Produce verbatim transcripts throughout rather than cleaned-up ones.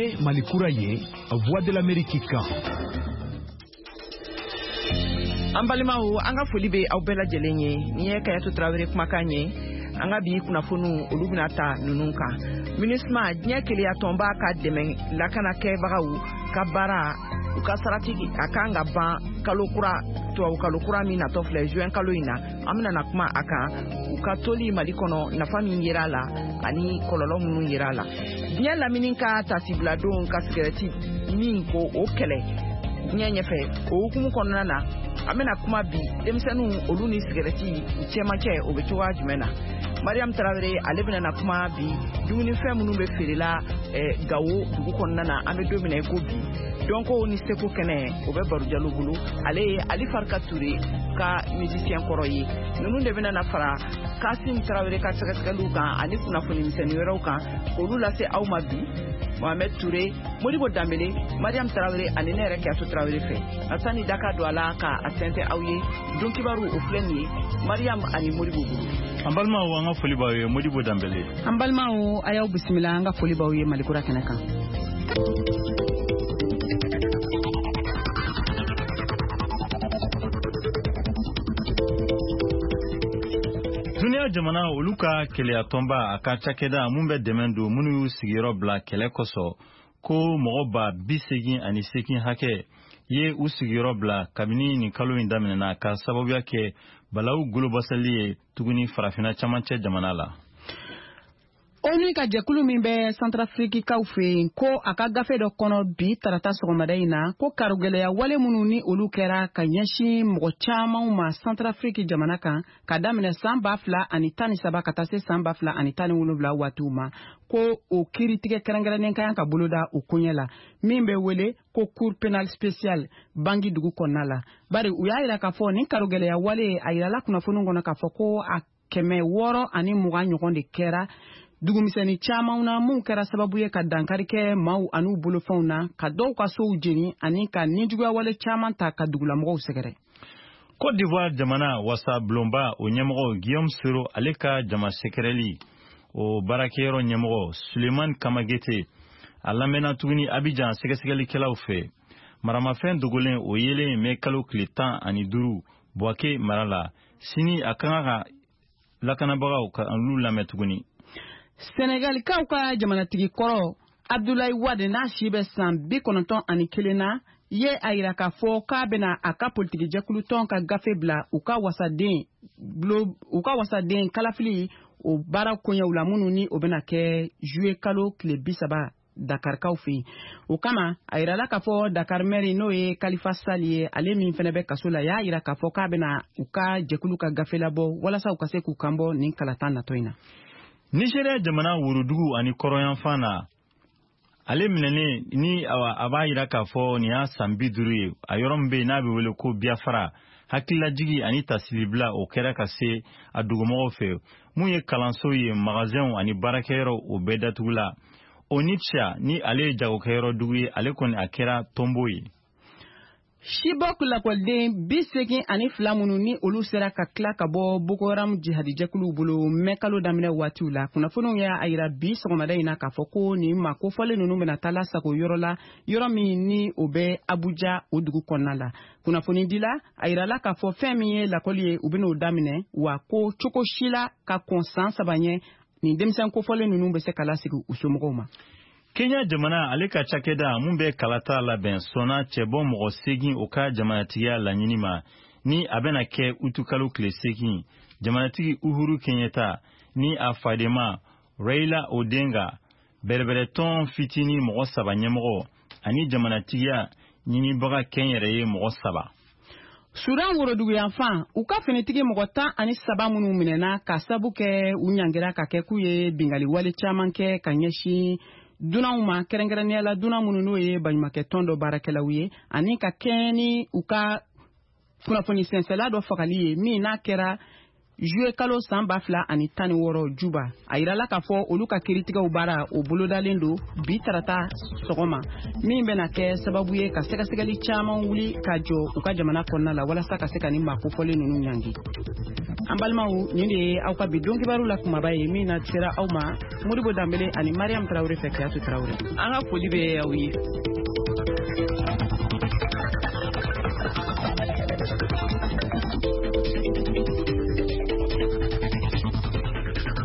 Nin ye Mali kura ye, Voix de l'Amérique kan. An balimaw, an ka foli bɛ aw bɛɛ lajɛlen ye. Nin ye Kayatu Tarawele kumakan ye. An ka bi kunnafoniw, olu bɛna ta ninnu kan: MINUSMA, diɲɛ keleyatɔnba ka dɛmɛ lakanakɛbagaw ka baara, u ka sarati a kan ka ban kalo kura, tubabu kalo kura min natɔ filɛ, juin kalo in na. An bɛna na kuma a kan, u ka toli Mali kɔnɔ, nafa min yera a la ani kɔlɔlɔ minnu yera a la. Diɲɛ lamini ka tasibiladon ka sigɛrɛti min ko o kɛlɛ diɲɛ ɲɛfɛ, o hukumu kɔnɔna na, an bɛna kuma bi denmisɛnninw, olu ni sigɛrɛti u cɛmancɛ, o bɛ cogoya jumɛn na. Mariam Tarawele, ale bɛna na kuma bi dumunifɛn minnu bɛ feerela Gawo dugu kɔnɔna na, an bɛ don min na i ko bi. Dɔnko ni seko kɛnɛ, o bɛ Baro Jalo bolo, ale ye Ali Farika Ture ka musicien kɔrɔ ye. Ninnu de bɛna na fara Kasim Tarawele ka sɛgɛsɛgɛliw kan ani kunnafoni misɛnnin wɛrɛw kan k'olu lase aw ma bi, Mohamed Touré, Modibo Danbele, Mariam Tarawele ani ne yɛrɛ Kɛso Tarawele fɛ. Nka sani daka don a la ka a sɛnsɛn aw ye, don kibaru o filɛ nin ye Mariam ani Modibo bolo. An balimaw, an ka foli b'aw ye. Modibo Danbele. An balimaw, a y'aw bisimila an ka foli b'aw ye Malikura kɛnɛ kan. Duniya jamana olu ka keleyatɔnba, a ka cakɛda mun bɛ dɛmɛ don minnu y'u sigiyɔrɔ bila kɛlɛ kosɔn, ko mɔgɔ ba bi segin ani seegin hakɛ ye u sigiyɔrɔ bila kabini nin kalo in daminɛna, ka sababuya kɛ balawu golobasali ye tuguni farafinna camancɛ jamana la. ONU ka jɛkulu min bɛ Santarafirikikaw fɛ yen, ko a ka gafe dɔ kɔnɔ bi tarata sɔgɔmada in na, ko karogɛlɛya wale minnu ni olu kɛra ka ɲɛsin mɔgɔ camanw ma Santarafiriki jamana kan ka daminɛ san ba fila ani tan ni saba ka taa se san ba fila ani tan ni wolonwula waatiw ma, ko o kiiritigɛ kɛrɛnkɛrɛnnen ka kan ka boloda o koɲɛ la, min bɛ wele ko Cour pénale spéciale Bangi dugu kɔnɔna la. Bari u y'a yira k'a fɔ nin karogɛlɛya wale, a yirala kunnafoniw kɔnɔ k'a fɔ ko a kɛmɛ wɔɔrɔ ani mugan ɲɔgɔn de kɛra dugumisɛnnin caman na, mun kɛra sababu ye ka dankari kɛ maaw an'u bolofɛnw na, ka dɔw ka sow jeni ani ka nijuguyawale caman ta ka dugulamɔgɔw sɛgɛrɛ. Côte d'Ivoire jamana wasa bulonba o ɲɛmɔgɔ Guillaume Soro, ale ka jama sɛgɛrɛli o baarakɛyɔrɔ ɲɛmɔgɔ Suleiman Kamagete, a lamɛnna tuguni Abidjan sɛgɛsɛgɛlikɛlaw fɛ. Maramafɛn dogolen o yelen mɛ kalo tile tan ani duuru Buwake mara la. Sini a ka kan ka lakanabagaw ka olu lamɛn tuguni. Senegalikaw ka jamanatigi kɔrɔ Abdoulaye Wade, n'a si bɛ san bi kɔnɔntɔn ani kelen na, ye a yira k'a fɔ k'a bɛna a ka politikijɛkulu tɔn ka gafe bila u ka wasaden u ka wasaden kalafili o baara koɲɛw la, minnu ni o bɛna kɛ juillet kalo tile bi saba Dakarikaw fɛ yen. O kama, a yirala k'a fɔ Dakar maire, n'o ye Khalifa Sall ye, ale min fana bɛ kaso la, y'a yira k'a fɔ k'a bɛna u ka jɛkulu ka gafe labɔ walasa u ka se k'u kanbɔ nin kalata natɔ in na. Nigeria jamana worodugu ani kɔrɔnyanfan na, ale minɛnen ni a b'a yira k'a fɔ nin y'a san bi duuru ye, a yɔrɔ min bɛ yen n'a bɛ wele ko Biafra, hakililajigi ani tasilibila o kɛra ka se a dugumɔgɔw fɛ. Mun ye kalanso ye, magasinw ani baarakɛyɔrɔ, o bɛɛ datugula. Onitsha ni ale ye jagokɛyɔrɔ dugu ye, ale kɔni a kɛra tɔnbo ye. Chibok lakɔliden bi segin ani fila minnu ni olu sera ka tila ka bɔ Boko Haram jihadijɛkuluw bolo mɛ kalo daminɛ waatiw la, kunnafoniw y'a yira bi sɔgɔmada in na k'a fɔ ko nin maa kofɔlen ninnu bɛna taa lasago yɔrɔ la, yɔrɔ min ni o bɛ Abuja o dugu kɔnɔna la. Kunnafonidila a yirala k'a fɔ fɛn min ye lakɔli ye, u bɛn'o daminɛ wa, ko cogo si la ka kɔn san saba ɲɛ, nin denmisɛn kofɔlen ninnu bɛ se ka lasigi u somɔgɔw ma. Kenya jamana, ale ka cakɛda mun bɛ kalata labɛn, sɔnna cɛbɔ mɔgɔ seegin o ka jamanatigiya laɲini ma, ni a bɛna kɛ utukalo tile seegin. Jamanatigi Uhuru Kenyatta ni a fadenma Raila Odinga, bɛrɛbɛrɛtɔn fitinin mɔgɔ saba ɲɛmɔgɔ ani jamanatigiya ɲinibaga kɛnyɛrɛye mɔgɔ saba. Sudan woroduguyanfan, u ka finitigi mɔgɔ tan ani saba minnu minɛna ka sabu kɛ u ɲangira ka kɛ k'u ye bingali wale caman kɛ ka ɲɛsin dunanw ma, kɛrɛnkɛrɛnnenya la dunan minnu n'o ye baɲumankɛtɔn dɔ baarakɛlaw ye, ani ka kɛɲɛ ni u ka kunnafoni sɛnsɛla dɔ fagali ye, min n'a kɛra juillet kalo san ba fila ani tan ni wɔɔrɔ Juba. A yirala k'a fɔ olu ka kiiritigɛw baara o bolodalen don bi tarata sɔgɔma, min bɛna kɛ sababu ye ka sɛgɛsɛgɛli caman wuli ka jɔ u ka jamana kɔnɔna la walasa ka se ka nin maa kofɔlen ninnu ɲangi. An balimaw, nin de ye aw ka bi don kibaru la kumaba ye min na sera aw ma Modibo Danbele ani Mariam Traoré fɛ Kiyatu Traoré. An ka foli bɛ aw ye.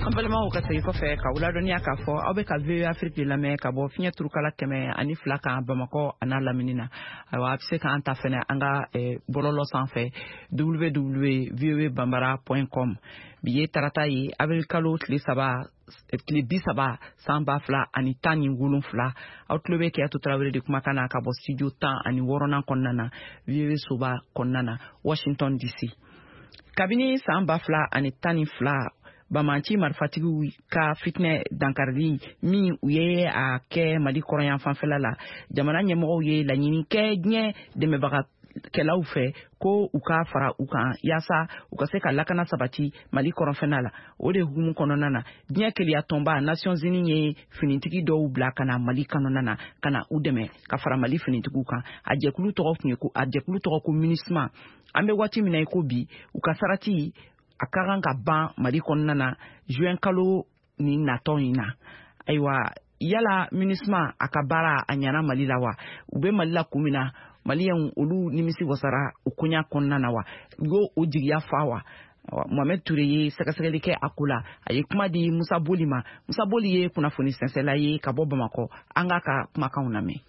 An balimaw, ka segin kɔfɛ ka ladɔnniya k'a fɔ aw bɛ ka V O A Afrique de lamɛn ka bɔ fiɲɛ turukala kɛmɛ ani fila kan Bamakɔ a n'a lamini na. Ayiwa, a bɛ se k'an ta fɛnɛ an ka bɔlɔlɔ sanfɛ w w w v o a bambara point com. Bi ye tarata ye, avril kalo tile saba tile bi saba san ba fila ani tan ni wolonfila. Aw tulo bɛ Kiyatu Traoré de kumakan na ka bɔ studio tan ani wɔɔrɔnan kɔnɔna na, V O A soba kɔnɔna na, Washington D C. Kabini san ba fila ani tan ni fila, Bamanci marifatigiw ka fitinɛ dankarili min u ye a kɛ Mali kɔrɔyan fanfɛla la, jamana ɲɛmɔgɔw ye laɲini kɛ diɲɛ dɛmɛbaga kɛlaw fɛ ko u ka fara u kan yaasa u ka se ka lakana sabati Mali kɔrɔnfɛna la. O de hukumu kɔnɔna na, diɲɛ keleya tɔnba Nations Unies ye finitigi dɔw bila ka na Mali kɔnɔna na ka na u dɛmɛ ka fara Mali finitigiw kan. A jɛkulu tɔgɔ tun ye ko a jɛkulu tɔgɔ ko MINUSMA. An bɛ waati min na i ko bi, u ka sarati a ka kan ka ban Mali kɔnɔna na juin kalo ni natɔ in na. Ayiwa, yala MINUSMA a ka baara a ɲana Mali la wa? U bɛ Mali la kun min na, Maliyɛnw olu nimisi wasara o koɲa kɔnɔna na wa? U y'o o jigiya fa wa? Mohamed Touré ye sɛgɛsɛgɛli kɛ a ko la. A ye kuma di Musa Boli ma. Musa Boli ye kunnafoni sɛnsɛla ye ka bɔ Bamakɔ. An k'a ka kumakanw lamɛn.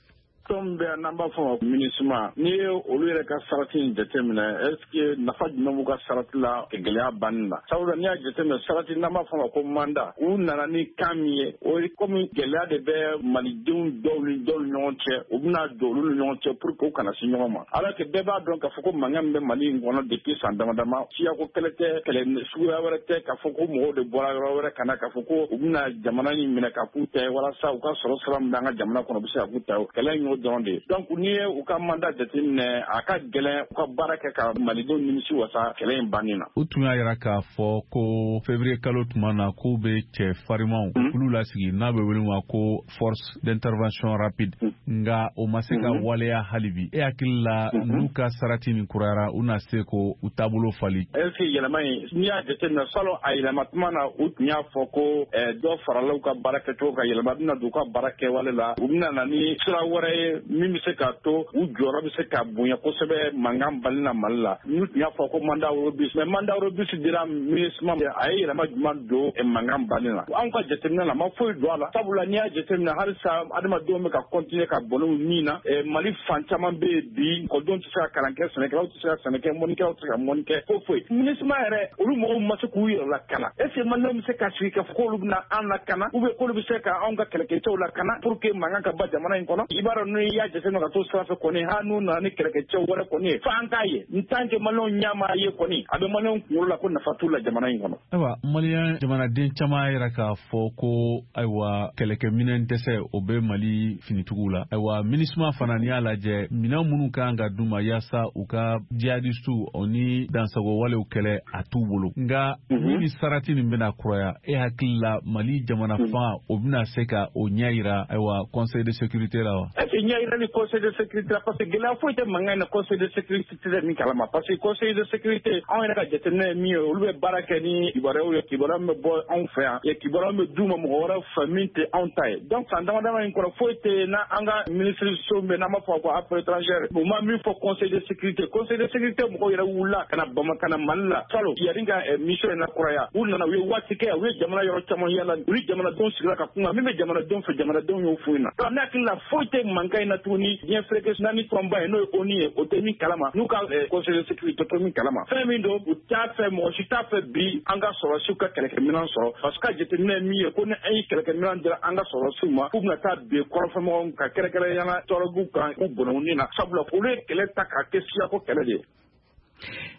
Tɔn bɛ n'an b'a fɔ ma MINUSMA, n'i ye olu yɛrɛ ka sarati in jateminɛ, est-ce que nafa jumɛn b'u ka sarati la gɛlɛya banni na? Sabula n'i y'a jateminɛ, sarati n'an b'a fɔ ma ko mandat, u nana ni kan min ye, o ye komi gɛlɛya de bɛ malidenw dɔw ni dɔw ni ɲɔgɔn cɛ, u bɛna don olu ni ɲɔgɔn cɛ pour que u kana se ɲɔgɔn ma. Alors que bɛɛ b'a dɔn k'a fɔ ko mankan min bɛ Mali in kɔnɔ depuis san dama dama, siyako kɛlɛ tɛ, kɛlɛ suguya wɛrɛ tɛ, k'a fɔ ko mɔgɔw de bɔra yɔrɔ wɛrɛ ka na k'a fɔ ko u bɛna jamana in minɛ ka k'u ta ye walasa u ka sɔrɔ sira min bɛ an ka jamana kɔnɔ u bɛ se ka k'u ta ye. Kɛlɛ in dɔrɔn de ye. Donc n'i ye u ka mandat jateminɛ, a ka gɛlɛn u ka baara kɛ ka malidenw nimisi wasa kɛlɛ in banni na. U tun y'a yira k'a fɔ ko février kalo tuma na k'u bɛ cɛ farimanw kulu lasigi n'a bɛ wele ma ko force d'intervention rapide, nka o ma se ka waleya hali bi. E hakili la, n'u ka sarati nin kurayara, u na se ko u taabolo fali? Est-ce que yɛlɛma in, n'i y'a jateminɛ, salon a yɛlɛma tuma na, u tun y'a fɔ ko dɔ farala u ka baara kɛcogo kan, yɛlɛma bɛna don u ka baara kɛwale la, u bɛna na ni sira wɛrɛ ye min bɛ se k'a to u jɔyɔrɔ bɛ se ka bonya kosɛbɛ mankan bali na Mali la. N'u tun y'a fɔ ko mandat robuste, mais mandat robuste dira MINUSMA, a ye yɛlɛma jumɛn don mankan bali na? Anw ka jateminɛ la, ma foyi don a la. Sabula n'i y'a jateminɛ, halisa adamadenw bɛ ka continuer ka bɔnɛ u ni na. Mali fan caman bɛ yen bi, ekɔlidenw tɛ se ka kalan kɛ, sɛnɛkɛlaw tɛ se ka sɛnɛ kɛ, mɔnnikɛlaw tɛ se ka mɔnni kɛ, foyi foyi. MINUSMA yɛrɛ, olu mɔgɔw ma se k'u yɛrɛ lakana. Est-ce que maliyɛnw bɛ se ka sigi k'a fɔ k'olu bɛna an lakana, ou bien k'olu bɛ se ka anw ka kɛlɛkɛcɛw lakana pour que mankan ka ban jamana in kɔnɔ? I b'a dɔn, n'i y'a jateminɛ ka to sira fɛ kɔni, hali n'u nana ni kɛlɛkɛcɛw wɛrɛ kɔni ye, f'an k'a ye. N tant que maliyɛnw ɲɛ m'a ye kɔni, a bɛ maliyɛnw kunkolo la ko nafa t'u la jamana in kɔnɔ. Ayiwa, maliyɛn jamanaden caman y'a yira k'a fɔ ko ayiwa, kɛlɛkɛminɛn dɛsɛ o bɛ Mali finitigiw la. Ayiwa, MINUSMA fana, n'i y'a lajɛ, minɛn minnu kan ka d'u ma yaasa u ka jihadistiw o ni dansago walew kɛlɛ, a t'u bolo. Nka ni ni sarati nin bɛna kuraya, e hakili la, Mali jamana fanga o bɛna se ka o ɲɛ yira ayiwa conseil de sécurité la wa? Est-ce que ɲɛ yira ni conseil de sécurité la? Parce que gɛlɛya foyi tɛ mankan in na conseil de sécurité tɛ min kalama. Parce que conseil de sécurité, anw yɛrɛ ka jateminɛ ye min ye, olu bɛ baara kɛ ni kibaruyaw ye, kibaruya min bɛ bɔ anw fɛ yan, kibaruya min bɛ d'u ma mɔgɔ wɛrɛ fɛ min tɛ anw ta ye. Donc san dama dama in kɔnɔ, foyi tɛ n'an ka ministre so min bɛ n'an b'a fɔ ko affaires étrangères, u ma min fɔ conseil de sécurité. Conseil de sécurité mɔgɔw yɛrɛ wulila ka na Bamakɔ, ka na Mali la salon yanni ka mission in lakuraya. U nana, u ye waati kɛ, u ye jamana yɔrɔ caman yala, u ni jamanadenw sigira ka kuma min bɛ jamanadenw fɛ, jamanadenw y'o f'u ɲɛna. Donc ne hakili la, foyi tɛ mankan in na tuguni. Diɲɛ fereke naani tɔnba ye, n'o ye ONU ye, o tɛ min kalama, n'u ka conseil de sécurité tɛ min kalama. Fɛn min don, u t'a fɛ, mɔgɔ si t'a fɛ bi an ka sɔrɔsiw ka kɛlɛkɛminɛn sɔrɔ. Parce que jateminɛ ye min ye, ko ni an ye kɛlɛkɛminɛn dira an ka sɔrɔsiw ma, k'u bɛna taa bin kɔrɔnfɛmɔgɔw kan, kɛrɛnkɛrɛnnenya la tɔɔrɔguw kan, k'u bɔnɛ u ni na. Sabula olu ye kɛlɛ ta k'a kɛ siyako kɛlɛ de ye.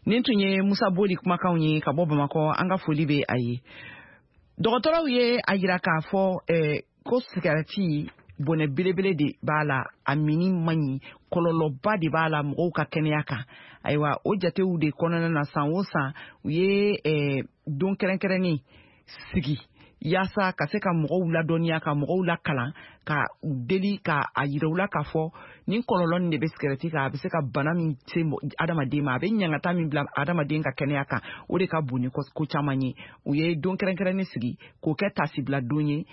Nin tun ye Musa Boli kumakanw ye ka bɔ Bamakɔ. An ka foli bɛ a ye. Dɔgɔtɔrɔw ye a yira k'a fɔ ko sigarɛti bɔnɛ belebele de b'a la, a minni man ɲi, kɔlɔlɔba de b'a la mɔgɔw ka kɛnɛya kan. Ayiwa, o jatew de kɔnɔna na, san o san u ye don kɛrɛnkɛrɛnnen sigi yaasa ka se ka mɔgɔw ladɔnniya, ka mɔgɔw lakalan ka u deli ka a yira u la k'a fɔ nin kɔlɔlɔ nin de bɛ sigɛrɛti kan, a bɛ se ka bana min se adamaden ma, a bɛ ɲangata min bila adamaden ka kɛnɛya kan, o de ka bon ni ko caman ye. U ye don kɛrɛnkɛrɛnnen sigi k'o kɛ tasibila don ye,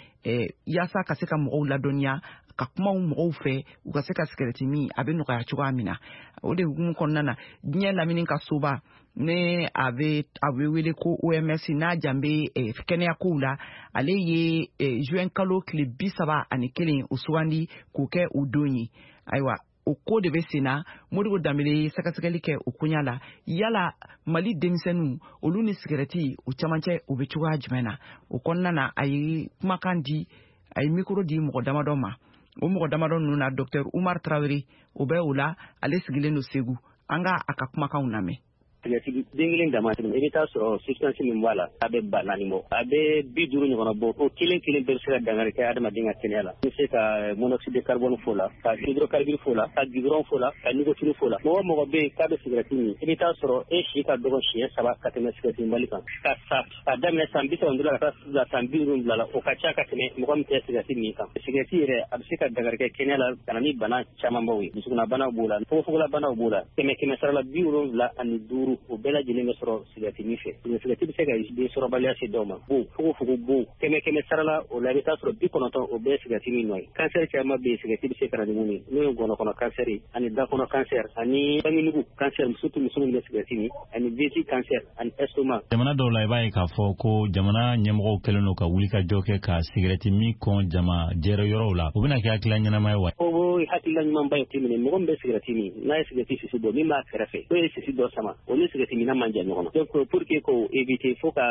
yaasa ka se ka mɔgɔw ladɔnniya, ka kumaw mɔgɔw fɛ, u ka se ka sigɛrɛti min a bɛ nɔgɔya cogoya min na. O de hukumu kɔnɔna na, diɲɛ lamini ka soba ne a bɛ a bɛ wele ko O M S, n'a jan bɛ kɛnɛya kow la, ale ye juin kalo tile bi saba ani kelen o sugandi k'o kɛ o don ye. Ayiwa, o ko de bɛ sen na. Modibo Danbele ye sɛgɛsɛgɛli kɛ o koɲa la. Yala Mali denmisɛnninw olu ni sigɛrɛti o camancɛ o bɛ cogoya jumɛn na? O kɔnɔna na, a ye kumakan di, a ye mikoro di mɔgɔ damadɔ ma. O mɔgɔ damadɔ ninnu na, Docteur Umar Traoré o bɛ o la, ale sigilen don Segu. An ka a ka kumakanw lamɛn. Sigɛrɛti den kelen dama tɛmɛ, i bɛ taa sɔrɔ substance min b'a la, a bɛ ba naani bɔ, a bɛ bi duuru ɲɔgɔnna bɔ. O kelen kelen bɛɛ bɛ se ka dankari kɛ adamaden ka kɛnɛya la. I bɛ se ka monoxyde de carbone fo la, ka hydrocarbure fo la, ka goudron fo la, ka nicotine fo la. Mɔgɔ mɔgɔ bɛ yen k'a bɛ sigɛrɛti min, i bɛ taa sɔrɔ e si ka dɔgɔ siɲɛ saba ka tɛmɛ sigɛrɛti minbali kan. Ka sa ka daminɛ san bi saba ni duuru la ka taa bila san bi wolonwula la, o ka ca ka tɛmɛ mɔgɔ min tɛ sigɛrɛti min kan. Sigɛrɛti yɛrɛ a bɛ se ka dankari kɛ kɛnɛya la ka na ni bana camanbaw ye. Dusukunnabanaw b'o la, fogofogola-banaw b'o la. Kɛmɛ kɛmɛ sara la bi wolonwula ani duuru, o bɛɛ lajɛlen bɛ sɔrɔ sigɛrɛti min fɛ. Sigɛrɛti bɛ se ka den sɔrɔbaliya se dɔw ma. Bon, fogofogo bon, kɛmɛ kɛmɛ sara la, o la i bɛ taa sɔrɔ bi kɔnɔntɔn o bɛɛ ye sigɛrɛti min nɔ ye. Kansɛri caman bɛ yen sigɛrɛti bɛ se ka na ni mun ye, n'o ye ngɔnɔkɔnɔ kansɛri ani dakɔnɔ kansɛri ani bangenugu kansɛri, surtout muso minnu bɛ sigɛrɛti min, ani vessie kansɛri ani estomac. Jamana dɔw la, i b'a ye k'a fɔ ko jamana ɲɛmɔgɔw kɛlen don ka wulikajɔ kɛ ka sigɛrɛti min kɔn jama jɛrɛ yɔrɔw la. O bɛna kɛ hakilila ɲɛnama ye wa? O ye hakilila ɲumanba ye. Minɛ mɔgɔ min bɛ sigɛrɛti min, n'a ye sigɛrɛti sisi bɔ, min b'a kɛrɛfɛ, n'o ye sisi dɔ sama, o ni sigɛrɛti minna man jan ɲɔgɔn na. Donc pour que k'o éviter, fo ka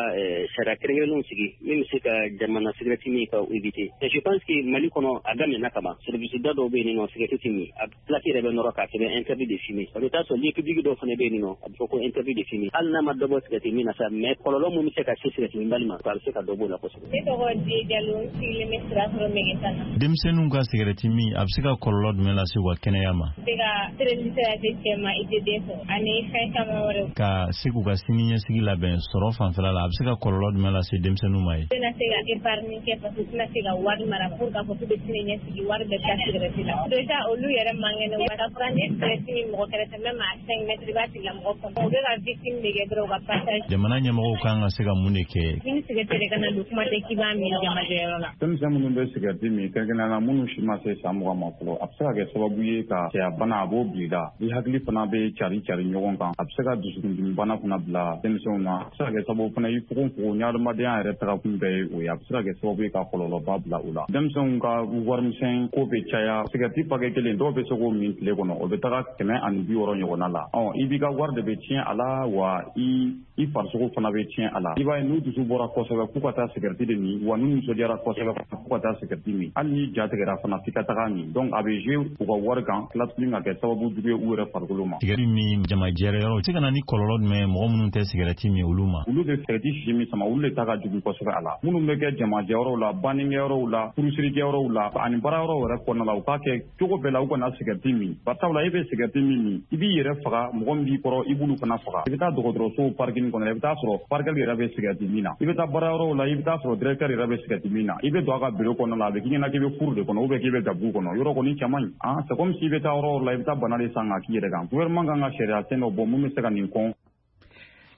sariya kɛrɛnkɛrɛnnenw sigi min bɛ se ka jamana sigɛrɛti min ka éviter. Et je pense que Mali kɔnɔ a daminɛna kaban. Service da dɔw bɛ yen nɔ, sigɛrɛti tɛ min, a plaque yɛrɛ bɛ nɔrɔ k'a sɛbɛn interdit de fumer. O bɛ taa sɔrɔ lieu public dɔw fana bɛ yen nɔ, a bɛ fɔ ko interdit de fumer. Hali n'a ma dɔ bɔ sigɛrɛti min na sa, mais kɔlɔlɔ min bɛ se ka se sigɛrɛti minbali ma, a bɛ se ka dɔ b'o la kosɛbɛ. Ne tɔgɔ Diye Jalo, n sigilen bɛ Sirakɔrɔ Megetan na. Denmisɛnninw ka sigɛrɛti min, a bɛ se ka kɔlɔlɔ jumɛn lase u ka kɛnɛya ma? Se ka stérilité lase cɛ ma, i tɛ den sɔrɔ, ani fɛn caman wɛrɛw. Ka se k'u ka sini ɲɛsigi labɛn sɔrɔ fanfɛla la, a bɛ se ka kɔlɔlɔ jumɛn lase denmisɛnninw ma ye? U tɛna se ka épargne kɛ, parce que u tɛna se ka wari mara pour k'a fɔ k'u bɛ sini ɲɛsigi, wari bɛɛ taa sigɛrɛti la. Déjà olu yɛrɛ man kɛnɛ, ka fɔra ni sigɛrɛti min mɔgɔ kɛrɛfɛ, même à cinq mètres, i b'a tigilamɔgɔ kɔnɔ. U bɛ ka victime de kɛ dɔrɔn u ka passage. Jamana ɲɛmɔgɔw kan ka se ka mun de kɛ? Ni sigɛrɛti yɛrɛ kana don, kuma tɛ k'i b'a min jamajɛyɔrɔ la. Denmisɛn minnu bɛ sigɛrɛti min, kɛrɛnkɛrɛnnenya la minnu si ma se san mugan ma fɔlɔ, a bɛ se ka kɛ sababu ye ka cɛya bana a b'o bila i la. I hakili fana bɛ cari cari ɲɔgɔn kan, a bɛ se ka dusukundimi bana fana bila denmisɛnw na. A bɛ se ka kɛ sababu fana i fogofogo ni adamadenya yɛrɛ tagakun bɛɛ ye o ye, a bɛ se ka kɛ sababu ye ka kɔlɔlɔba bila u la. Denmisɛnw ka warimisɛn ko bɛ caya, sigɛrɛti pakɛ kelen dɔw bɛ se k'o min tile kɔnɔ, o bɛ taga kɛmɛ ani bi wɔɔrɔ ɲɔgɔnna la. Ɔ i b'i ka wari de bɛ tiɲɛ a la, wa i i farisogo fana bɛ tiɲɛ a la. I b'a ye n'u dusu bɔra kosɛbɛ k'u ka taa sigɛrɛti de min, wa n'u nisɔndiyara kosɛbɛ k'u ka taa sigɛrɛti min, hali n'i ja tigɛra fana f'i ka taga min. Donc a bɛ jouer u ka wari kan, tila tuguni ka kɛ sababu jugu ye u yɛrɛ farikolo ma. Sigɛrɛti min jamajɛrɛ yɔrɔ, o tɛ se ka na ni kɔlɔlɔ jumɛn ye mɔgɔ minnu tɛ sigɛrɛti min olu ma? Olu bɛ sigɛrɛti sisi min sama, olu de ta ka jugu kosɛbɛ a la. Minnu bɛ kɛ jamajɛyɔrɔw la, bannikɛyɔrɔw la, furusirikɛyɔrɔw la, ani baarayɔrɔw yɛrɛ kɔnɔna la, u k'a kɛ cogo bɛɛ la u kana sigɛrɛti min. Barisabula e bɛ sigɛrɛti min min, i b'i yɛrɛ faga, mɔgɔ min b'i kɔrɔ i b'olu fana faga. I bɛ taa dɔgɔtɔrɔsow parking kɔnɔ, i bɛ taa sɔrɔ parkɛli yɛrɛ bɛ sigɛrɛti min na. I bɛ taa baarayɔrɔw la, i bɛ taa sɔrɔ directeur yɛrɛ bɛ sigɛrɛti min na. I bɛ don a ka bureau kɔnɔna la, a bɛ k'i ɲɛna k'i bɛ cour de kɔnɔ ou bien k'i bɛ gabugu kɔnɔ. Yɔrɔ kɔni cɛ man ɲi. Ah, c'est comme si i bɛ taa yɔrɔ la, i bɛ taa bana de san k'a k'i yɛrɛ kan. Gouvernement kan ka sariya sen dɔ bɔ mun bɛ se ka nin kɔn.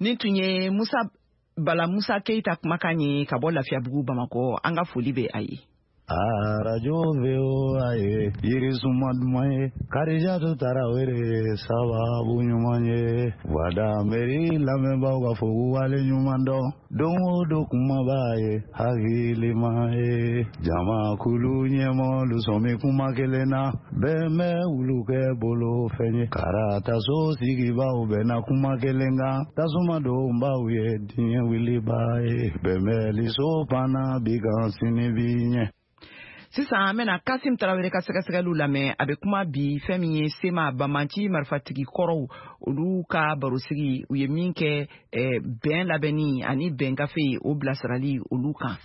Nin tun ye Musa Bala Musa Keyita kumakan ye ka bɔ Lafiyabugu Bamakɔ. An ka foli bɛ a ye. Arajo V O A ye yirisuma duman ye, Karijatu Tarawele sababu ɲuman ye, Wadameri lamɛnbaaw ka fɔ k'u wale ɲuman dɔn, don o don kumaba ye hakilima ye, jamakulu ɲɛmɔgɔlu sɔn bɛ kuma kelen na, bɛn bɛ wulu kɛ bolo fɛn ye, karataso sigibaaw bɛnna kuma kelen kan, tasuma donbaw ye diɲɛ wuliba ye, bɛnbɛnliso panna bi kan sini bi ɲɛ. Sisan an bɛna Kasim Tarawele ka sɛgɛsɛgɛliw lamɛn. A bɛ kuma bi fɛn min ye SEMA banbanci marifatigi kɔrɔw olu ka barosigi, u ye min kɛ bɛn labɛnni ani bɛn gafe o bilasirali olu kan.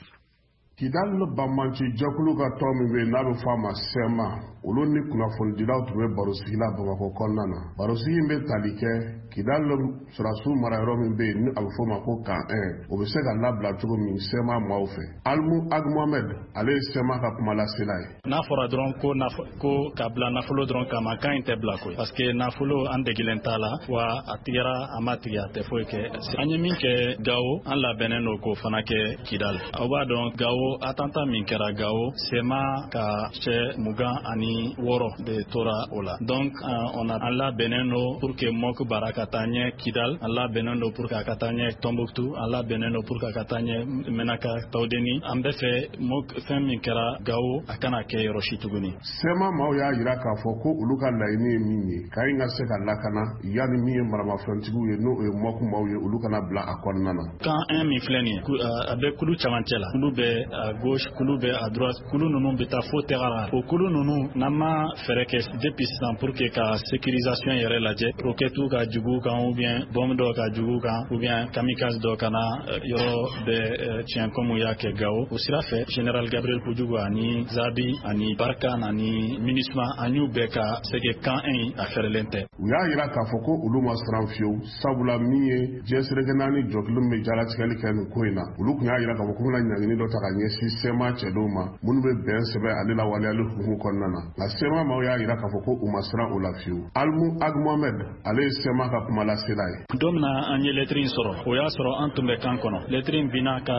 Kidal banbanci jɛkulu ka tɔn min bɛ yen n'a bɛ fɔ a ma C M A, olu ni kunnafonidilaw tun bɛ barosigi la Bamakɔ kɔnɔna na. Barosigi in bɛ tali kɛ Kidal sɔrɔdasiw marayɔrɔ min bɛ yen ni a bɛ fɔ o ma ko Camp un, o bɛ se ka labila cogo min C M A maaw fɛ. Alimu Ag Mohamed, ale ye C M A ka kumalasela ye. N'a fɔra dɔrɔn ko ko ka bila nafolo dɔrɔn kama, kan in tɛ bila koyi, parce que nafolo an degilen t'a la wa. A tigɛra, a ma tigɛ, a tɛ foyi kɛ. An ye min kɛ Gawo, an labɛnnen don k'o fana kɛ Kidal. Aw b'a dɔn, Gawo, attentat min kɛra Gawo, C M A ka cɛ mugan ani wɔɔrɔ de tora o la. Donc on a an labɛnnen don pour que M O C baara ka taa ɲɛ Kidal, an labɛnnen don pour que a ka taa ɲɛ Tombouctou, an labɛnnen don pour que a ka taa ɲɛ Menaka, Tawudeni. An bɛ fɛ M O C, fɛn min kɛra Gawo, a kana kɛ yɔrɔ si tuguni. C M A maaw y'a jira k'a fɔ ko olu ka laɲini ye min ye, Kayi ka se ka lakana yanni min ye maramafɛntigiw ye, n'o ye M O C maaw ye, olu kana bila a kɔnɔna na. Camp un min filɛ nin ye, a bɛ kulu camancɛ la, kulu bɛ à gauche, kulu bɛ à droite, kulu ninnu bɛ taa fo Tɛgara. O kulu ninnu, n'an ma fɛɛrɛ kɛ depuis sisan pour que ka sécurisation yɛrɛ lajɛ, roquette ka jugu kan ou bien bombe dɔ ka jugu kan ou bien kamikaze dɔ kana yɔrɔ bɛɛ tiɲɛ comme u y'a kɛ Gawo. O sira fɛ, général Gabriel Koudougou ani Zabi ani Barkhane ani MINUSMA, an y'u bɛɛ ka se que camp un a fɛrɛlen tɛ. U y'a jira k'a fɔ ko olu ma siran fiyewu, sabula min ye diɲɛ seleke naani jɔkulu min bɛ jalatigɛli kɛ nin ko in na, olu tun y'a jira k'a fɔ k'u bɛna ɲangini dɔ ta ka ɲɛsin C M A cɛdenw ma minnu bɛ bɛn sɛbɛn ale lawaleyali hukumu kɔnɔna na. Nka C M A maaw y'a jira k'a fɔ ko u ma siran o la fiyewu. Alimu Ag Mohamed, ale ye C M A ka kumalasela ye. Don min na an ye lettre in sɔrɔ, o y'a sɔrɔ an tun bɛ camp kɔnɔ. Lettre in binna ka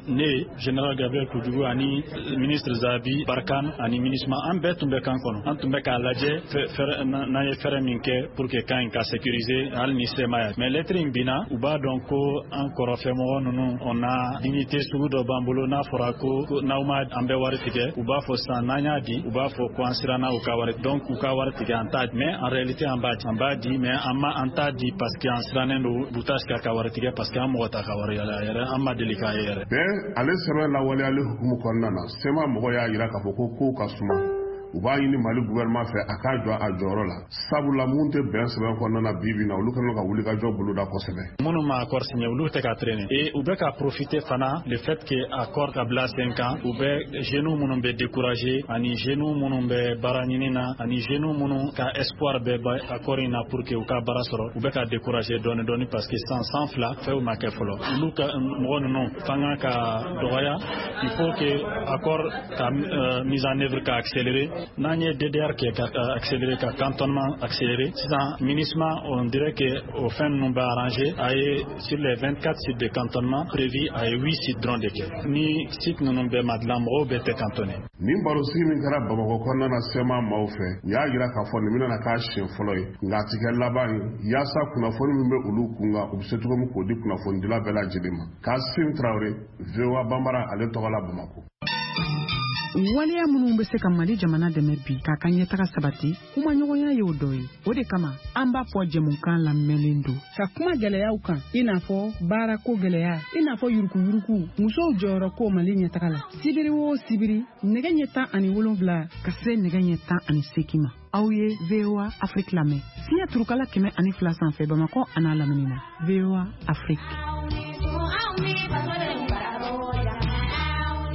ne, général Gabriel Koudougou ani ministre Zabi, Barkhane ani MINUSMA, an bɛɛ tun bɛ camp kɔnɔ. An tun bɛ k'a lajɛ n'an ye fɛɛrɛ min kɛ pour que camp in ka sécuriser hali ni C M A ye. Mais lettre in binna, u b'a dɔn ko an kɔrɔfɛmɔgɔ ninnu, on a dignité sugu dɔ b'an bolo. N'a fɔra ko n'aw ma an bɛ wari tigɛ, u b'a fɔ sisan n'an y'a di, u b'a fɔ ko an siranna u ka wari, donc u ka wari tigɛ, an t'a. Mais en réalité, an b'a di, an b'a di, mais an ma an t'a di parce que an sirannen don Butash ka wari tigɛ, parce que an mɔgɔ t'a ka wari yɛrɛ, an ma deli k'a ye yɛrɛ. Bɛn ale sɛbɛn lawaleyali hukumu kɔnɔna na, C M A mɔgɔ y'a jira k'a fɔ ko kow ka suma. U b'a ɲini Mali gouvernement fɛ a k'a jɔ a jɔyɔrɔ la, sabula mun tɛ bɛn sɛbɛn kɔnɔna na, bi bi na olu kɛlen ka wulikajɔ boloda kosɛbɛ. Minnu ma accord signé, olu tɛ ka traîner et u bɛ ka profiter fana le fait que accord ka bila sen kan. U bɛ jeunes minnu bɛ décourager ani jeunes minnu bɛ baara ɲini na ani jeunes minnu ka espoir bɛ accord in na pour que u ka baara sɔrɔ, u bɛ ka décourager dɔɔni dɔɔni, parce que san san fila fɛnw ma kɛ fɔlɔ. Olu ka mɔgɔ ninnu fanga ka dɔgɔya. Il faut que accord ka euh, mise en œuvre ka accélérer. N'an ye D D R kɛ ka accélérer, ka cantonnement accélérer, sisan MINUSMA, on dirait que o fɛn ninnu bɛ arranger. A ye sur les vingt-quatre sites de cantonnement prévus, a ye huit sites dɔrɔn de kɛ. Ni site ninnu bɛɛ ma dilan, mɔgɔw bɛɛ tɛ cantonné. Nin barosigi min kɛra Bamakɔ kɔnɔna na, C M A maaw fɛ, u y'a jira k'a fɔ nin bɛna k'a siɲɛ fɔlɔ ye, nka a ti kɛ laban ye, yaasa kunnafoni min bɛ olu kun kan, u bɛ se cogo min k'o di kunnafonidila bɛɛ lajɛlen ma. Kasim Tarawele, V O A Banbara ale tɔgɔ la, Bamakɔ. Waleya minnu bɛ se ka Mali jamana dɛmɛ bi k'a ka ɲɛtaga sabati, kumaɲɔgɔnya y'o dɔ ye. O de kama an b'a fɔ jɛmukan lamɛnlen don ka kuma gɛlɛyaw kan, i n'a fɔ baarako gɛlɛya, i n'a fɔ yurukuyuruku, musow jɔyɔrɔ ko Mali ɲɛtaga la. Sibiri o sibiri, nɛgɛ ɲɛ tan ani wolonfila ka se nɛgɛ ɲɛ tan ani seegin ma, aw ye V O A Afrique lamɛn fiɲɛ turukala kɛmɛ ani fila sanfɛ, Bamakɔ an'a lamini na. V O A Afrique.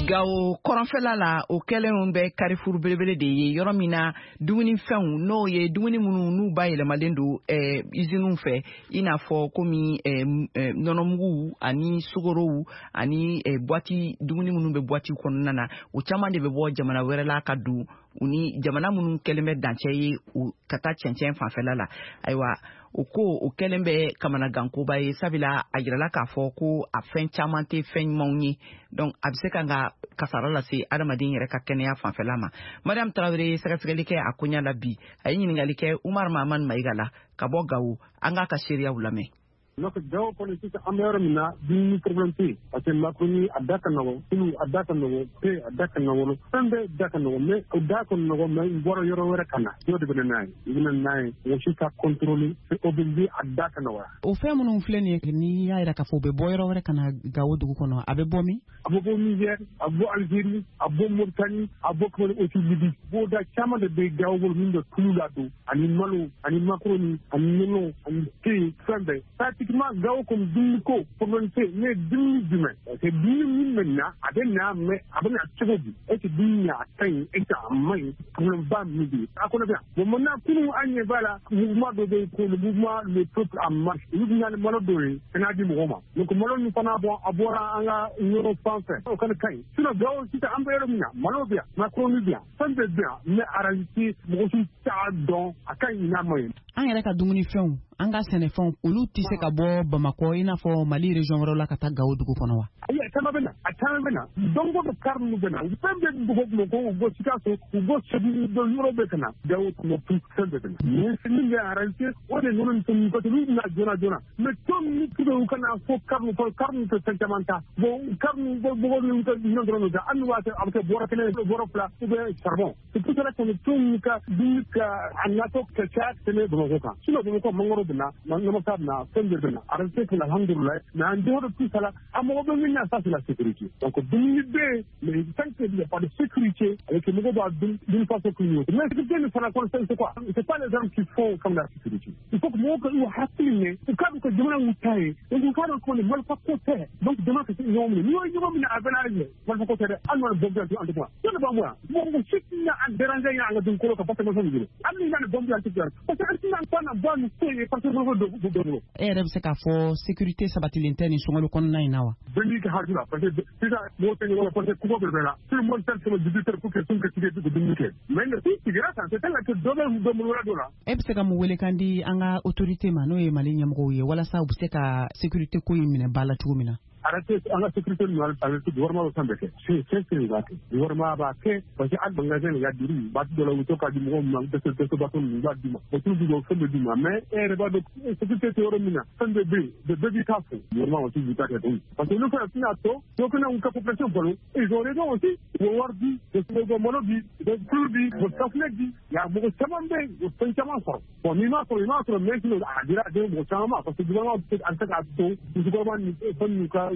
Gawo kɔrɔnfɛla la, o kɛlen bɛ Carrefour belebele de ye, yɔrɔ min na dumunifɛnw, n'o ye dumuni minnu n'u bayɛlɛmalen don eh, usines fɛ, i n'a fɔ komi eh, eh, nɔnɔmugu ani sukorow ani eh, boîte dumuni minnu bɛ boîte kɔnɔna na, o caman de bɛ bɔ jamana wɛrɛ la ka don u ni jamana minnu kɛlen bɛ dancɛ ye, u ka taa cɛncɛn fanfɛla la. Ayiwa, o ko o kɛlen bɛ kamanagankoba ye, sabula a yirala k'a fɔ ko a fɛn caman tɛ fɛn ɲumanw ye, donc a bɛ se ka ka kasara lase adamaden yɛrɛ ka kɛnɛya fanfɛla ma. Mariam Tarawele ye sɛgɛsɛgɛli kɛ a koɲa la bi. A ye ɲininkali kɛ Umar Mahamani Mayiga la ka bɔ Gawo. An k'a ka seereyaw lamɛn. Donc Gawo kɔni, sisan an bɛ yɔrɔ min na, dumuni problème tɛ yen, parce que macaroni a da ka nɔgɔn, tulu a da ka nɔgɔn, te a da ka nɔgɔn, fɛn bɛɛ da ka nɔgɔn. Mais o da ka nɔgɔn, mais i bɔra yɔrɔ wɛrɛ ka na, y'o de bɛ na n'a ye, i bɛ na n'a ye, mɔgɔ si t'a contrôler, o bɛ di, a da ka nɔgɔya. O fɛn minnu filɛ nin ye, n'i y'a yira k'a fɔ u bɛ bɔ yɔrɔ wɛrɛ ka na Gawo dugu kɔnɔ, a bɛ bɔ min? A bɛ bɔ Niger, a bɛ bɔ Algérie, a bɛ bɔ Mauritanie, a bɛ bɔ aussi Libye. Bɔda caman de bɛ Gawo bolo min bɛ tulu ladon ani malo ani macaroni ani nɔnɔ ani te, fɛn bɛɛ. Pratiquement Techniquement Gao comme dumuni ko problème tɛ yen, ne ye dumuni jumɛn parce que dumuni min bɛ na a bɛ na mais a bɛ na cogo di, est ce que dumuni a ka ɲi, est ce que a man ɲi, problème ba min bɛ yen a kɔnɔ bɛ yan. Bon maintenant kunun an ɲɛ b'a la mouvement dɔ bɛ yen ko le mouvement le peuple en marche, olu bɛ na ni malo dɔw ye ka n'a di mɔgɔw ma. Donc malo min fana bɔ a bɔra an ka yɔrɔ fan fɛ, o kana ka ɲi. Sinon Gao sisan an bɛ yɔrɔ min na malo bɛ yan, macaroni bɛ yan, fɛn bɛɛ bɛ yan, mais en réalité mɔgɔ si t'a dɔn a ka ɲi n'a man ɲi. An yɛrɛ ka dumunifɛnw, an ka sɛnɛfɛnw, olu tɛ se ka bɔ Bamakɔ i n'a fɔ Mali région wɛrɛw la ka taa Gao dugu kɔnɔ wa? Ayi, a caman bɛ na, a caman bɛ na. Don o don kari ninnu bɛ na, fɛn bɛɛ bɛ bɔ Bamakɔ, u bɔ Sikaso, u bɔ Segu, u bɔ yɔrɔ bɛɛ ka na Gao, Tombouctou, fɛn bɛɛ bɛ na. Mais min bɛ en réalité o de ninnu ni fɛn ninnu parce que olu bɛ na joona joona, mais tɔn min u ka na fo kari ninnu kɔnɔ, kari ninnu tɛ fɛn caman ta. Bon kari ninnu bɔ mɔgɔw ninnu ka minɛn dɔrɔn de ta, hali n'u b'a kɛ a bɛ kɛ bɔrɔ kelen, bɔrɔ fila ou bien charbon. C'est pour cela que tɔn ninnu ka dumuni ka a natɔ ka caya ka tɛmɛ Bamakɔ kan. Sinon Bamakɔ mangoro bɛ na, namasa bɛ na, fɛn bɛɛ bɛ na. En réalité c'est alhamdoulilah, mais en dehors de tout ça là, a mɔgɔ bɛ min na ça c'est la sécurité. Donc dumuni bɛ yen, mais tant qu'il n'y a pas de sécurité, avec mɔgɔw b'a dun d'une façon qu'une autre. Mais sécurité nin fana kɔnɔ c'est quoi? C'est pas les armes qui font comme la sécurité. Il faut que mɔgɔw ka u hakili minɛ, u k'a dɔn ka jamana y'u ta ye, donc u k'a dɔn ko nin marifa ko tɛ. Donc jamana ka se ɲɔgɔn minɛ, n'i y'o ɲɔgɔn minɛ a bɛɛ n'a ɲɛ, marifa ko tɛ dɛ, hali n'o ye bombe an tɛ kuma. Jɔn de b'an bɔ yan? Mɔgɔ si tɛna an déranger yan an ka dugukolo kan parce que marifa b'i bolo. Hali n'i nana bombe an tɛ kuma. Parce que an tɛna an na bɔ nin ko ye parce que marifa dɔ b'u bolo. E yɛrɛ bɛ se k'a fɔ sécurité sabatilen tɛ nin sunkalo kɔnɔna in na wa? Bɛɛ n'i ka hakili la parce que sisan mɔgɔw tɛ ɲɔgɔn la parce que kungo bɛɛ bɛ la. Tout le monde sait que le dix-huit heures pour que sun ka tigɛ ka dumuni kɛ. Mais si sigira tan c'est tel que dɔ bɛ dɔ bolo wɛrɛ dɔ la. E bɛ se ka mun welekan di an ka autorité ma n'o ye Mali ɲɛmɔgɔw ye walasa u bɛ se ka sécurité ko in minɛ ba la cogo min na? Arrêtez an ka sécurité ninnu arrêtez gouvernement bɛ fɛn bɛɛ kɛ. C'est c'est c'est b'a kɛ. Gouvernement b'a kɛ parce que hali magasin de ka diri waati dɔ la u bɛ to k'a di mɔgɔw ma dɛsɛ dɛsɛbaatɔ ninnu u b'a d'u ma. O t'u d'u ma fɛn bɛɛ d'u ma mais e yɛrɛ b'a dɔn sécurité tɛ yɔrɔ min na fɛn bɛɛ bɛ yen bɛɛ b'i ta fo. Gouvernement aussi b'i ta kɛ koyi. Parce que olu fana tɛna to dɔw fana y'u ka population balo. Ils ont raison aussi. U bɛ wari di, u bɛ malo di, u bɛ tulu di, u bɛ safunɛ di. Ya mɔgɔ caman bɛ yen u bɛ fɛn caman sɔrɔ. Bon n'i m'a sɔrɔ i m'a sɔrɔ mais a dira a den mɔgɔ caman ma parce que gouvernement bɛ se k'a to musokɔrɔba ni fɛn ninnu ka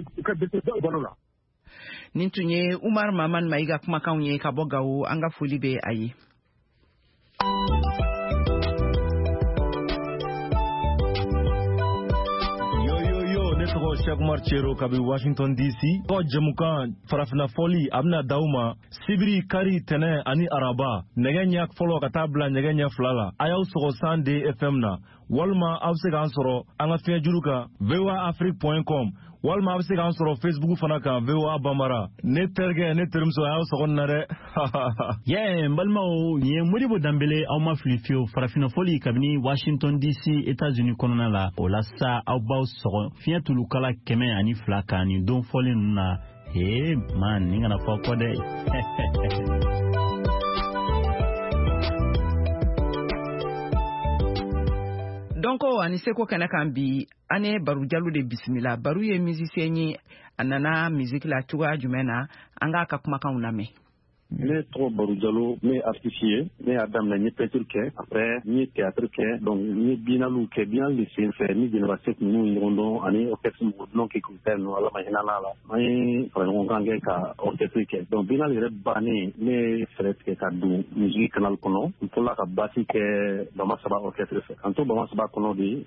Nin tun ye Umar Maman Mayiga kumakanw ye ka bɔ Gawo, an ka foli bɛ a ye. Yo yo yo, ne tɔgɔ Cheikh Umar Cero kabi Washington D C. Tɔgɔ jɛmukan farafinna fɔli a bɛna d'aw ma sibiri, kari, tɛnɛ ani araba nɛgɛ ɲɛ fɔlɔ ka taa bila nɛgɛ ɲɛ fila la. A y'aw sɔgɔ cent deux F M na walima aw bɛ se k'an sɔrɔ an ka fiɲɛjuru kan V O A Afrique point com walima a bɛ se k'an sɔrɔ Facebook fana kan V O A Bambara. Ne terikɛ, ne terimuso, a y'aw sɔgɔ nin na dɛ. Yɛ n balimaw, nin ye Modibo Danbele, aw ma fili fiyewu. Farafinna fɔli kabini Washington D C États-Unis kɔnɔna la. O la sa aw b'aw sɔgɔ fiɲɛ tulukala kɛmɛ ani fila kan nin don fɔlen ninnu na. Ee man, nin kana fɔ kɔ dɛ. Dɔnko ani seko kɛnɛ kan bi, an ye Baru Jalo de bisimila. Baru ye musicien ye, a nana musique la cogoya jumɛn na, an k'a ka kumakanw lamɛn. Ne tɔgɔ Baru Jalo, ne ye artiste ye. Ne y'a daminɛ n ye peinture kɛ, après n ye théâtre kɛ, donc n ye biennale kɛ. Biennale de sen fɛ ni Jɛnɛba Sek ninnu ye ɲɔgɔn dɔn ani orchestre mɔgɔ dunan kɛ k'u ta ninnu, Ala ma hinɛ n'a la. An ye fara ɲɔgɔn kan kɛ ka orchestre kɛ. Donc biennale yɛrɛ bannen, ne ye fɛɛrɛ tigɛ ka don musique canal kɔnɔ. N fɔlɔla ka basse kɛ Bama Saba orchestre fɛ. K'an to Bama Saba kɔnɔ de,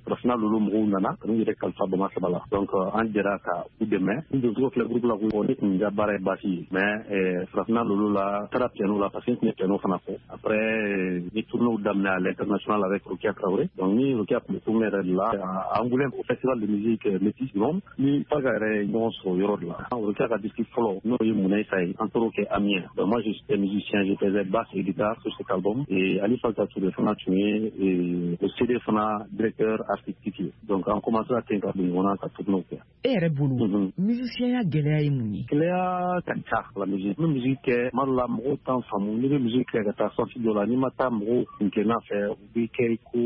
farafinna lolo mɔgɔw nana ka n'u yɛrɛ kalifa Bama Saba la. Donc an jɛra ka u dɛmɛ. N doncogo filɛ groupe la ko ne tun ka baara ye basse ye, mais farafinna lolo la taara piano la parce que n tun ye piano fana fɔ. Après ni tournéew daminɛ à l'international avec Rokia Traoré. Donc ni Rokia tun bɛ tournée yɛrɛ de la à Angoulême au festival de musique métis du monde, ni Faga yɛrɛ ye ɲɔgɔn sɔrɔ yɔrɔ de la. Rokia ka disque fɔlɔ n'o ye Munayisa ye, an tor'o kɛ Amiens. Donc moi j'étais musicien, je faisais basse et guitare sur cet album, et Ali Falta Touré fana tun ye o C D fana directeur artistique ye. Donc an commencera ten ka don ɲɔgɔn na ka tournéew kɛ. E yɛrɛ bolo musicien ya gɛlɛya ye mun ye? Gɛlɛya ka ca la musique. N bɛ musique kɛ tuma dɔ la mɔgɔw t'an faamu. N'i bɛ musique kɛ ka taa sens dɔ la, n'i ma taa mɔgɔw kuntilenna fɛ, u b'i kɛ i ko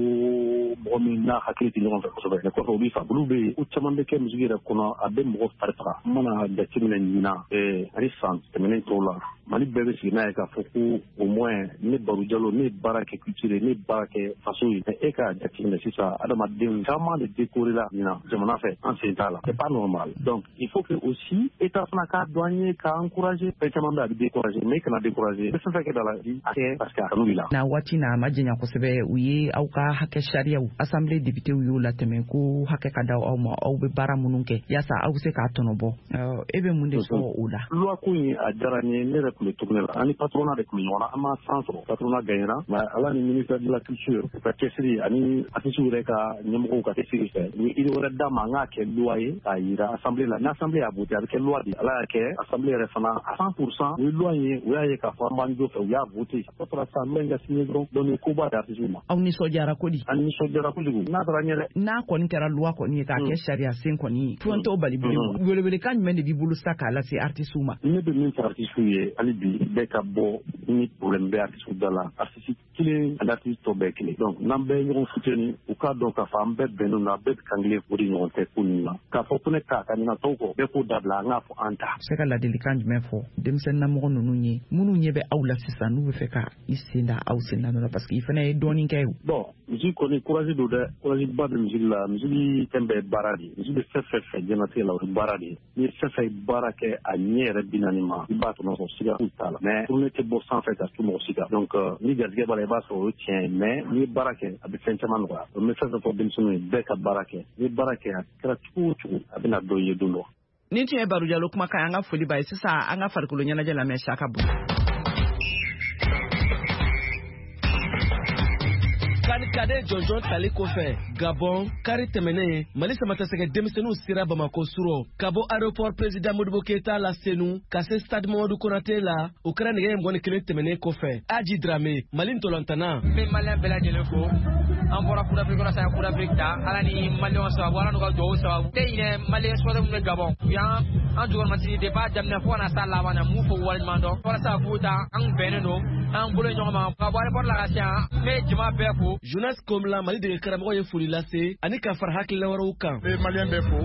mɔgɔ min n'a hakili tɛ ɲɔgɔn fɛ kosɛbɛ. Mais kɔfɛ u b'i faamu. Olu bɛ yen, ko caman bɛ kɛ musique yɛrɛ kɔnɔ, a bɛ mɔgɔ fari faga. N mana jateminɛ ɲinan ani san tɛmɛnen tɔw la, Mali bɛɛ bɛ sigi n'a ye k'a fɔ ko au moins ne Baro Jalo, ne ye baara kɛ culture ye, ne ye baara kɛ faso ye. Mais e k'a jateminɛ sisan, adamadenw caman de décoré la ɲinan jamana fɛ, an sen t'a la, c'est pas normal. Donc il faut que aussi état fana k'a dɔn an ye, k'a encourager. Fɛn caman bɛ a bɛ décourager, mais i kana décourager. I bɛ fɛn fɛn kɛ dans la vie, a kɛ parce que a kanu b'i la. Na waati na a ma janya kosɛbɛ, u ye aw ka hakɛ sariyaw, assemblée députéw y'o latɛmɛ ko hakɛ ka da aw ma, aw bɛ baara minnu kɛ yaasa aw bɛ se k'a tɔnɔ bɔ. E bɛ mun de fɔ o la? Loi ko in a diyara n ye. Ne yɛrɛ tun bɛ tournée la, an ni patronat de tun bɛ ɲɔgɔn na, an ma san sɔrɔ, patronat gagnera, mais Ala ni ministère de la culture u ka cɛsiri ani artistes yɛrɛ ka ɲɛmɔgɔw ka cɛsiri fɛ, u ye idée wɛrɛ d'a ma, an k'a kɛ loi ye k'a yira assemblée la. Ni assemblée y'a voté, a bɛ kɛ loi de ye. Ala y'a kɛ assemblée yɛrɛ fana à cent pour cent u ye loi in ye, u y'a ye k'a fɔ an b'an jo fɛ, u y'a voté. A tɔ tora sisan loi in ka signé dɔrɔn. Donc nin koba de artistes ma. Aw nisɔndiyara kodi? An nisɔndiyara kojugu, n'a taara ɲɛ dɛ. N'a kɔni kɛra loi kɔni ye k'a kɛ sariya sen kɔni ye, fɛn t'o bali bilen. Welewelekan jumɛn de b'i bolo sa k'a lase artistes ma? Ne bɛ min fɔ artistes ye hali bi, bɛɛ ka bɔ ni problème bɛ artistes da la. Artiste kelen ani artiste tɔ bɛɛ kelen. Donc n'an bɛɛ ye ɲɔgɔn soutenu, u k'a dɔn k'a fɔ an bɛɛ bɛnnen don, an bɛɛ bɛ kan kelen o de ɲɔgɔn tɛ ko ninnu na. K'a fɔ ko ne ta ka ɲina tɔw kɔ, bɛɛ k'o dabila, an k'a fɔ an ta. Se ka ladilikan jumɛn fɔ denmisɛnninnamɔgɔ ninnu ye, minnu ɲɛ bɛ aw la sisan, n'u bɛ fɛ ka i sen da aw sen da nɔ la, parce que i fana ye dɔɔnin kɛ o? Bon, musique kɔni courage don dɛ, courage ba bɛ musique la. Musique fɛn bɛɛ ye baara de ye. Musique bɛ fɛn fɛn fɛ diɲɛlatigɛ la, o ye baara de ye. N'i ye fɛn fɛn baara kɛ a ɲɛ yɛrɛ bi naani ma, i b'a tɔnɔ sɔrɔ, siga foyi t'a la. Mais tournée tɛ bɔ sanfɛ ka su mɔgɔ si kan. Donc ni garijɛgɛ b'a la, i b'a sɔrɔ o ye tiɲɛ ye, mais n'i ye baara kɛ, a bɛ fɛn caman nɔgɔya. Donc n bɛ fɛn fɛn fɔ denmisɛnninw ye, bɛɛ ka baara kɛ. N'i ye baara kɛ, a kɛra cogo o cogo, a bɛna dɔ ye don dɔ. Nin tun ye Baro Jalo kumakan, an ka foli b'a ye. Sisan an ka farikolo ɲɛnajɛ lamɛn Saka bolo. Kade jɔnjɔn tali kɔfɛ Gabon, kari tɛmɛnen, Mali samatasɛgɛ denmisɛnninw sera Bamakɔ surɔ ka bɔ aéroport président Modibo Keyita la Senu ka se stade Mamadu Konate la. O kɛra nɛgɛ mugan ni kelen tɛmɛnen kɔfɛ. Aji Drame, Mali ntolantana. N bɛ maliyɛn bɛɛ lajɛlen fo. An bɔra Coupe d'Afrique kɔnɔ sisan, Coupe d'Afrique ta, Ala ni maliyɛnw sababu, Ala n'u ka duwawu sababu. Tɛ ɲinɛ maliyɛn supporter minnu bɛ Gabon, u y'an an jukɔrɔmatigi depuis a daminɛ fo ka na s'a laban na, m'u fo waleɲuman dɔn. Walasa k'u ta, an bɛnnen don, an bolo ɲɔgɔn ma ka bɔ aéroport la ka se yan. N bɛ jama bɛɛ fo. Jonas Komla, Mali dege karamɔgɔ ye foli lase ani ka fara hakilina wɛrɛw kan. N bɛ maliyɛn bɛɛ fo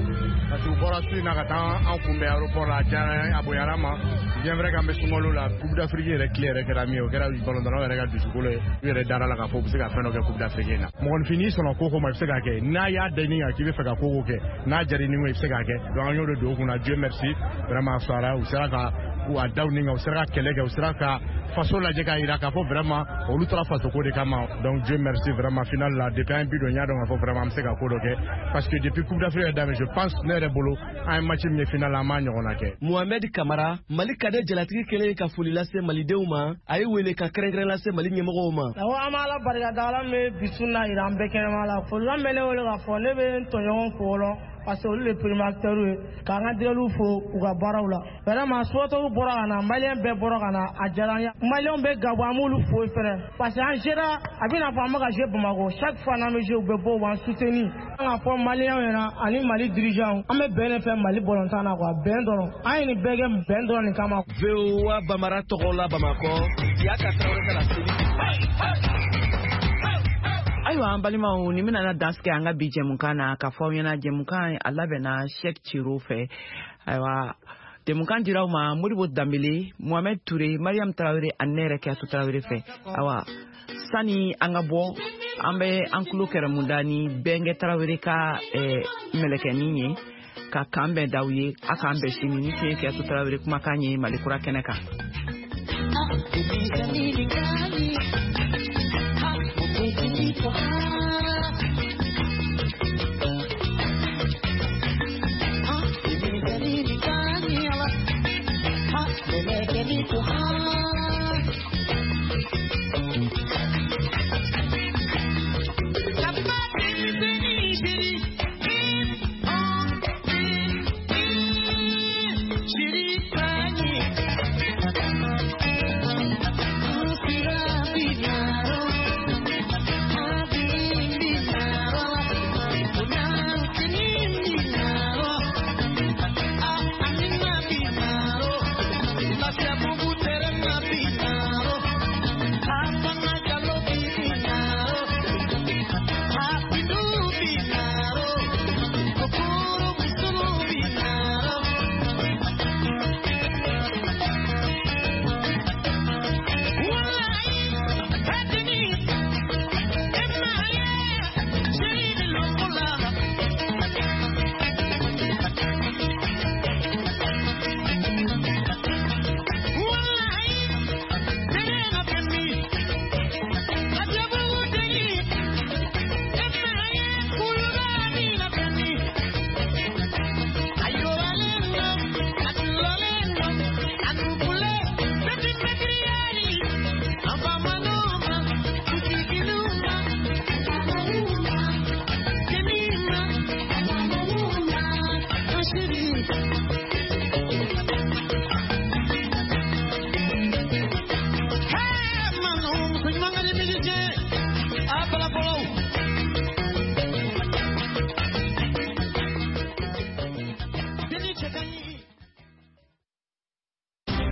parce que u bɔra su in na ka taa an kunbɛn aéroport la, a diyara an ye, a bonyara an ma. Bien vrai k'an bɛ sunkalo la, Coupe d'Afrique yɛrɛ tile yɛrɛ kɛra min ye, o kɛra balontannaw yɛrɛ ka dusukolo ye. U yɛrɛ dara la k'a fɔ u bɛ se ka fɛn dɔ kɛ Coupe d'Afrique in na. Mɔgɔninfin, n'i sɔnna ko ko ma, i bɛ se k'a kɛ. N'a y'a da i ni kan k'i bɛ fɛ ka ko ko kɛ, n'a diyara i ni ko i bɛ se k'a kɛ. Donc an y'o de don u kunna. Dieu merci, vraiment a fisayara, u sera ka a da u ni kan, u sera ka kɛlɛ kɛ, u sera ka faso lajɛ k'a jira k'a fɔ vraiment olu taara faso ko de kama. Donc Dieu merci, vraiment final la, depuis an ye bi don, n y'a dɔn k'a fɔ vraiment an bɛ se ka ko dɔ kɛ, parce que depuis Coupe d'Afrique yɛrɛ daminɛ, je pense ne yɛrɛ bolo, an ye match min ye final la, an m'a ɲɔgɔnna kɛ. Mohamed Kamara, Mali cadet jalatigi kɛlen ka foli lase malidenw ma, a ye wele ka kɛrɛnkɛrɛn lase Mali ɲɛmɔgɔw ma. Awɔ, an b'Ala barika da, Ala min bɛ bi su na yira an bɛɛ kɛnɛma la. Folikan bɛ ne wele k'a fɔ ne bɛ n tɔɲɔgɔn fo fɔlɔ, parce que olu de premier acteur ye, k'an ka dirɛliw fo u ka baaraw la. Vraiment supporters bɔra ka na, maliyɛn bɛɛ bɔra ka na, a diyara an ye. Maliyɛnw bɛ Gabon, an b'olu fo fɛnɛ, parce que an sera a bɛ n'a fɔ an bɛ ka jouer Bamakɔ, chaque fois n'an bɛ jouer, u bɛ bɔ u b'an soutenir. An k'a fɔ maliyɛnw ɲɛna ani Mali dirigeants, an bɛ bɛn de fɛ Mali balontan na quoi, bɛn dɔrɔn. An ye nin bɛɛ kɛ bɛn dɔrɔn nin kama. V O A Bamara tɔgɔ la Bamakɔ, Yaka Traoré ka laseli. Ayiwa an balimaw, nin bɛna dansigi an ka bi jɛmukan na k'a fɔ aw ɲɛna jɛmukan a labɛnna Cheikh Ciro fɛ. Ayiwa jɛmukan dira aw ma Modibo Danbele, Mohamed Touré, Mariam Traoré ani ne yɛrɛ Kiyatu Traoré fɛ. Ayiwa sani an ka bɔ, an bɛ an tulo kɛrɛmunda ni Bɛnkɛ Traoré ka mɛlɛkɛnin ye ka kan bɛn d'aw ye. A k'an bɛn sini ni tun ye Kiyatu Traoré kumakan ye Mali kura kɛnɛ kan. Thank you.